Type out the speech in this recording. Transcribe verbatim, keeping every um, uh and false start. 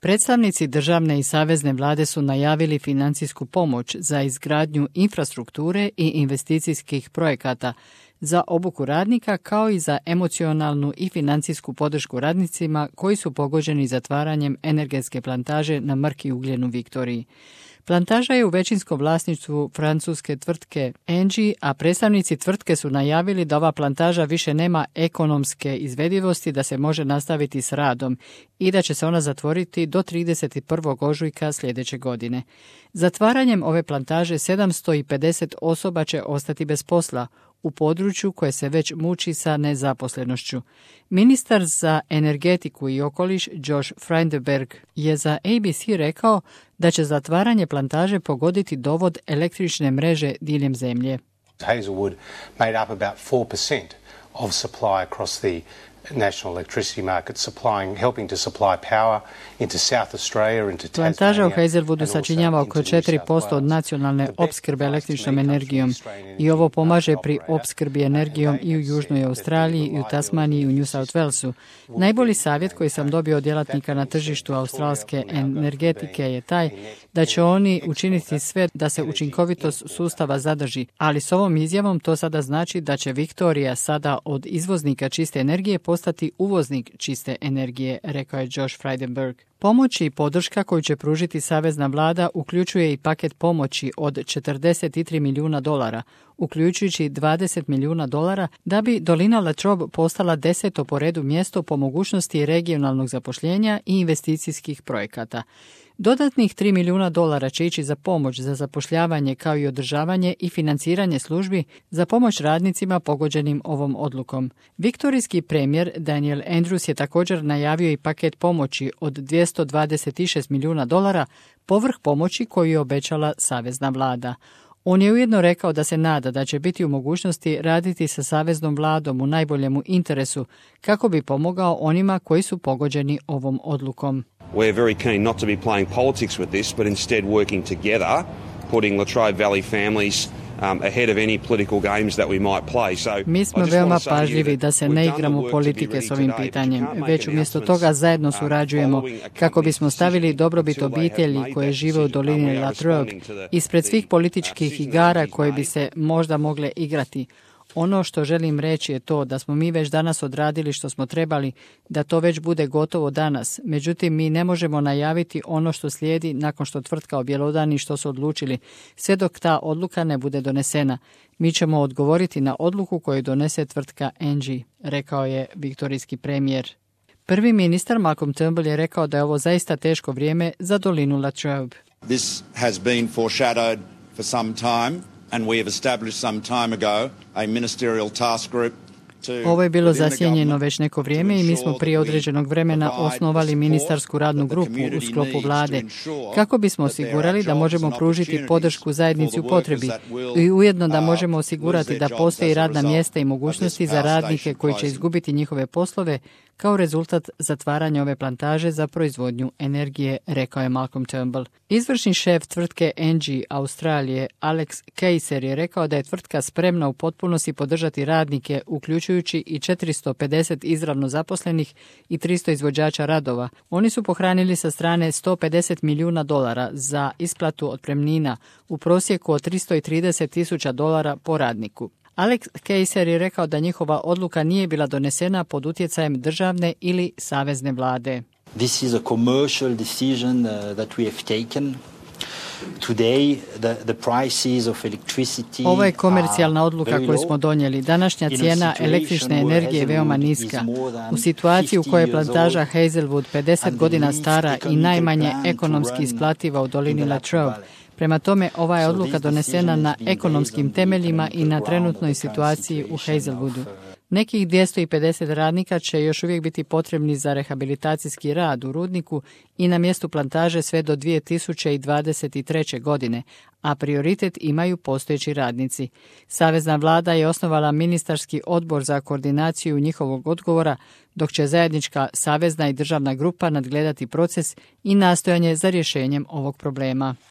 Predstavnici državne i savezne vlade su najavili financijsku pomoć za izgradnju infrastrukture i investicijskih projekata za obuku radnika, kao i za emocionalnu i financijsku podršku radnicima koji su pogođeni zatvaranjem energetske plantaže na Mrki ugljen u Viktoriji. Plantaža je u većinskom vlasništvu francuske tvrtke Engie, a predstavnici tvrtke su najavili da ova plantaža više nema ekonomske izvedivosti da se može nastaviti s radom i da će se ona zatvoriti do trideset prvog ožujka sljedeće godine. Zatvaranjem ove plantaže sedamsto pedeset osoba će ostati bez posla u području koje se već muči sa nezaposlenošću. Ministar za energetiku i okoliš Josh Frydenberg je za A B C rekao da će zatvaranje plantaže pogoditi dovod električne mreže diljem zemlje. Hazelwood made up about four percent of supply across the national electricity market, supplying, helping to supply power into South Australia, into Tasmania. Plantaža u Hazelwoodu sačinjava oko četiri posto od nacionalne opskrbe električnom energijom i ovo pomaže pri opskrbi energijom i u Južnoj Australiji, i u Tasmaniji, i u New South Walesu. Najbolji savjet koji sam dobio od djelatnika na tržištu australske energetike je taj da će oni učiniti sve da se učinkovitost sustava zadrži, ali s ovom izjavom to sada znači da će Viktorija sada od izvoznika čiste energije postati uvoznik čiste energije, rekao je Josh Frydenberg. Pomoć i podrška koju će pružiti savezna vlada uključuje i paket pomoći od četrdeset tri milijuna dolara, uključujući dvadeset milijuna dolara da bi dolina Latrobe postala deseto po redu mjesto po mogućnosti regionalnog zapošljenja i investicijskih projekata. Dodatnih tri milijuna dolara će ići za pomoć za zapošljavanje kao i održavanje i financiranje službi za pomoć radnicima pogođenim ovom odlukom. Viktorijski premijer Daniel Andrews je također najavio i paket pomoći od dvjesto dvadeset šest milijuna dolara povrh pomoći koju je obećala savezna vlada. On je ujedno rekao da se nada da će biti u mogućnosti raditi sa saveznom vladom u najboljemu interesu kako bi pomogao onima koji su pogođeni ovom odlukom. We're very keen not to be playing politics with this, but instead working together, putting Latrobe Valley families um, ahead of any political games that we might play. So, Mi smo veoma pažljivi da se ne igramo politike s ovim pitanjem, već umjesto toga zajedno surađujemo kako bismo stavili dobrobit obitelji koje žive u dolini Latrobe ispred svih političkih igara koje bi se možda mogle igrati. Ono što želim reći je to da smo mi već danas odradili što smo trebali, da to već bude gotovo danas. Međutim, mi ne možemo najaviti ono što slijedi nakon što tvrtka objelodani što su odlučili, sve dok ta odluka ne bude donesena. Mi ćemo odgovoriti na odluku koju donese tvrtka Engie, rekao je viktorijski premijer. Prvi ministar Malcolm Turnbull je rekao da je ovo zaista teško vrijeme za dolinu Latrobe. This has been foreshadowed for some time. And we have established some time ago a ministerial task group. Ovo je bilo zasjenjeno već neko vrijeme i mi smo prije određenog vremena osnovali ministarsku radnu grupu u sklopu vlade kako bismo osigurali da možemo pružiti podršku zajednici u potrebi i ujedno da možemo osigurati da postoji radna mjesta i mogućnosti za radnike koji će izgubiti njihove poslove kao rezultat zatvaranja ove plantaže za proizvodnju energije, rekao je Malcolm Turnbull. Izvršni šef tvrtke Engie Australije Alex Kejser je rekao da je tvrtka spremna u potpunosti podržati radnike, uključujući i četiristo pedeset izravno zaposlenih i tristo izvođača radova. Oni su pohranili sa strane sto pedeset milijuna dolara za isplatu otpremnina u prosjeku od tristo trideset tisuća dolara po radniku. Alex Kejser je rekao da njihova odluka nije bila donesena pod utjecajem državne ili savezne vlade. This is a commercial decision uh, that we have taken. Today, the, the prices of electricity. Ovo je komercijalna odluka koju smo donijeli. Današnja cijena električne energije je veoma niska. U situaciji u kojoj je plantaža Hazelwood pedeset godina stara i najmanje ekonomski isplativa u dolini Latrobe, prema tome, ova je odluka donesena na ekonomskim temeljima i na trenutnoj situaciji u Hazelwoodu. Nekih dvjesto pedeset radnika će još uvijek biti potrebni za rehabilitacijski rad u rudniku i na mjestu plantaže sve do dvije tisuće dvadeset treće. godine, a prioritet imaju postojeći radnici. Savezna vlada je osnovala ministarski odbor za koordinaciju njihovog odgovora, dok će zajednička savezna i državna grupa nadgledati proces i nastojanje za rješenjem ovog problema.